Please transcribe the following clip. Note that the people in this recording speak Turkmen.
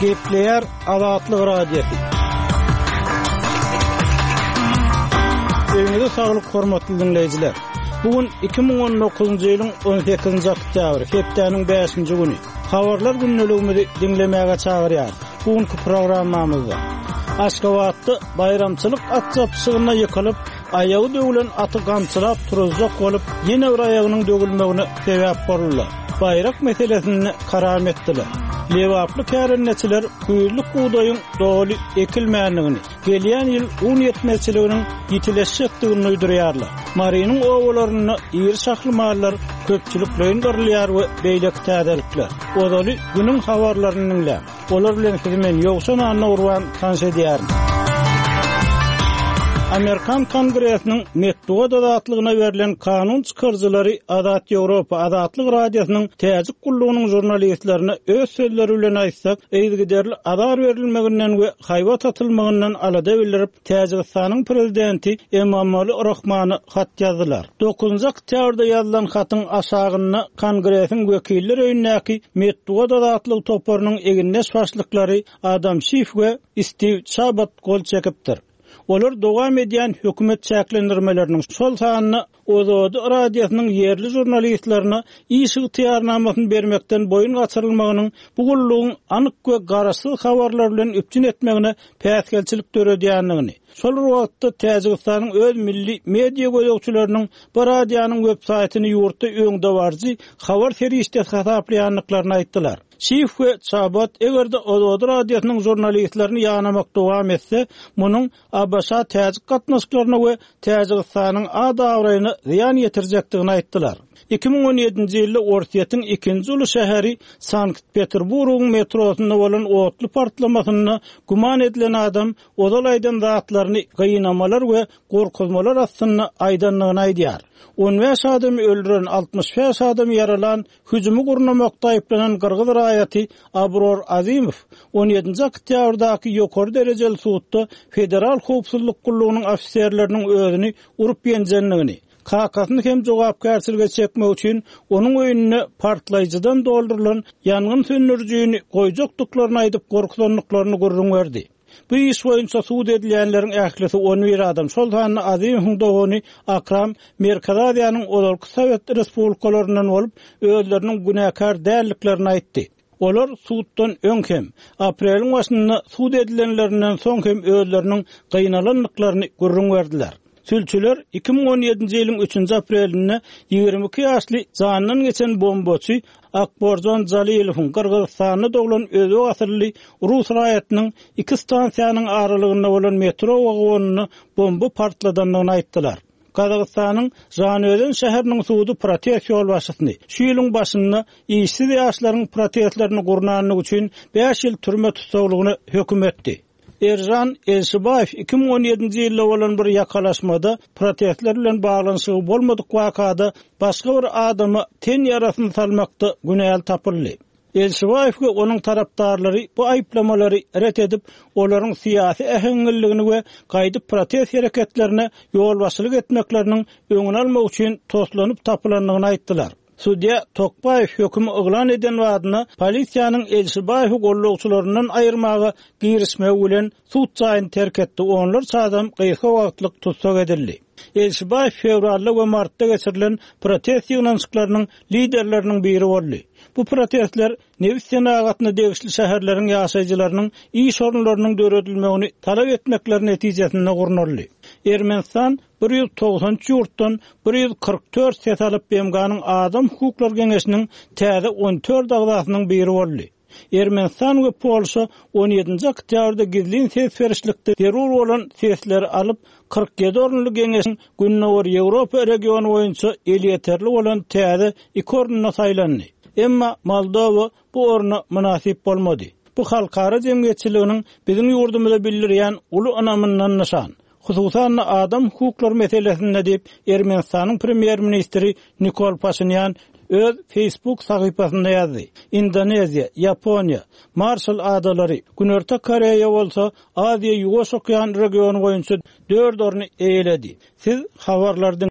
Gepleýär Azatlyk Radiosy. Öýüňize saglyk hormatly diňleýjiler. Bu gün 2019-njy ýylyň 18-nji oktýabry, hepdäniň 5-nji güni. Habarlar gündeligimizi diňlemäge çagyrýarys. Bu günki programmamyzda Aşgabatda baýramçylyk at çapyşygynda ýykylyp, aýagy döwlen aty gamçylap turuzjak bolup, ýene bir aýagynyň döwülmegine sebäp boldular. Baýrak meselesinde karam etdiler. Lebaply kärendeçiler güýzlük bugdaýyň doly ekilmändigini, gelýän ýyl un ýetmezçiliginiň ýitileşjekdigini duýdurýarlar. Marynyň obalarynda iri şahly mallar köpçülikleýin gyrylýar we beýleki täzelikler. Ozaly günüň habarlaryny diňläň. Olar bilen sizi men Ýowşan Annagurban tanyş edýärin. Amerikan Kongresiniň metbugat azatlygyna berlen kanun çykaryjylary Azat Ýewropa Azatlyk Radiosynyň Täjik gullugynyň žurnalistlerine öz sözleri bilen aýtsak, yzygiderli azar berilmeginden we haýbat atylmagyndan alada bildirip, Täjigistanyň prezidenti Emomali Rahmana hat ýazdylar. Dokuzynjy oktýabrda ýazylan hatyň aşagynda Kongresiň Wekiller öýündäki metbugat azatlygy toparynyň egindeş başlyklary Adam Şif we Stiw Çabat gol çekipdir. Olar dowam edýän hökümet çäklendirmeleriniň, şol sanda Ozodi radiosynyň ýerli žurnalistlerine iş ygtyýarnamasyny bermekden boýun gaçyrylmagynyň bu gullugyň anyk we garaşsyz habarlar bilen üpjün etmegine päsgelçilik döredýändigini, şol bir wagtda Täjigistanyň öz milli media gözegçileriniň bu radionyň websaýtyny ýurtda öňdebaryjy habar serişdesi hasaplaýandyklaryny aýtdylar. Şif we Çabat eger-de Ozodi radiosynyň žurnalistlerini ýanamak dowam etse, munuň ABŞ-täjik gatnaşyklaryna we Täjigistanyň at-abraýyna zyýan ýetirjekdigini aýtdylar. 2017-nji ýylda Orsýetiň ikinji uly şäheri Sankt-Peterburgyň metrosynda bolan otly partlamasynda güman edilen adam ozal aýdan zatlaryny gynamalar we gorkuzmalar astynda aýdandygyny aýdýar. 15 adamy öldüren, 65 adamy ýaralan Hüjümi gurnamakda aýyplanan gyrgyz raýaty Abror Azimow on ýedinji oktýabrdaky ýokary derejeli sudda Federal howpsuzlyk gullugynyň ofiserleriniň özüni urup-ýenjendigini, kakasyny hem jogapkärçilige çekmek üçin onuň öýünde partlaýjydan doldurylan ýangyn söndürijini goýjakdyklaryny aýdyp gorkuzandyklaryny gürrüň berdi. Bu iş boýunça sud edilýänleriň ählisi on bir adam, şol sanda Azymowyň dogany Akram Merkezi Aziýanyň ozalky sowet respublikalaryndan bolup, özleriniň günäkär däldiklerini aýtdy. Olar suddan öň hem, apreliň başynda sud edilenlerinden soň hem özleriniň gynalandyklaryny gürrüň berdiler. Sülçüler 2017-nji ýylyň üçünji aprelinde 22 ýaşly janyndan geçen bombaçy Akborjan Jalilowyň Gyrgyzystanda doglan özbek asylly rus raýatynyň iki stansiýanyň aralygynda bolan metro wagonynda bomba partladandygyny aýtdylar. Gazagystanyň Žanaözen şäheriniň sudy protest ýolbaşçysyny şu ýylyň başynda işsiz ýaşlaryň protestlerini gurnandygy üçin bäş ýyl türme tussaglygyna höküm etdi. Eržan Elşibaýew 2017-nji ýylda bolan bir ýakalaşmada protestler bilen baglanyşygy bolmadyk wakada başga bir adama ten ýarasyny salmakda günäli tapyldy. Elşibaýew we onuň tarapdarlary bu aýyplamalary ret edip, olaryň syýasy äheňliligini we gaýdyp protest hereketlerine ýolbaşçylyk etmekleriniň öňüni almak üçin toslanyp tapylandygyny aýtdylar. Sudýa Tokbaýew hökümi yglan eden badyna polisiýanyň Elşibaýewi gollagçylaryndan aýyrmaga girişmegi bilen sud jaýyny terk etdi, onlarça adam gysga wagtlyk tussag edildi. Elşibaýew fewralda we martda geçirilen protest ýygnanyşyklarynyň liderleriniň biri boldy. Bu protestler nebit senagatyna degişli şäherleriň ýaşaýjylarynyň iş orunlarynyň döredilmegini talap etmekleri netijesinde gurnaldy. Ermenistan 193 ýurtdan 144 ses alyp BMG-niň Adam hukuklary geňeşiniň täze 14 agzasynyň biri boldy. Ermenistan we Polşa on ýedinji oktýabrda gizlin ses berişlikde zerur bolan sesleri alyp, 47 orunly geňeşiň Gündogar Ýewropa regiony boýunça elýeterli bolan täze iki ornuna saýlandy. Emma Moldowa bu orna mynasyp bolmady. Bu halkara jemgyýetçiliginiň biziň ýurdumyza bildirýän uly ynamyndan nyşan. Hususan-da, adam hukuklary meselesinde diýip, Ermenistanyň premýer-ministri Nikol Paşinýan öz Facebook sahypasynda ýazdy. Indoneziýa, Ýaponiýa, Marşal adalary, Günorta Koreýa bolsa Aziýa-Ýuwaş okean regiony boýunça dört orny eýeledi. Siz habarlary diňläp.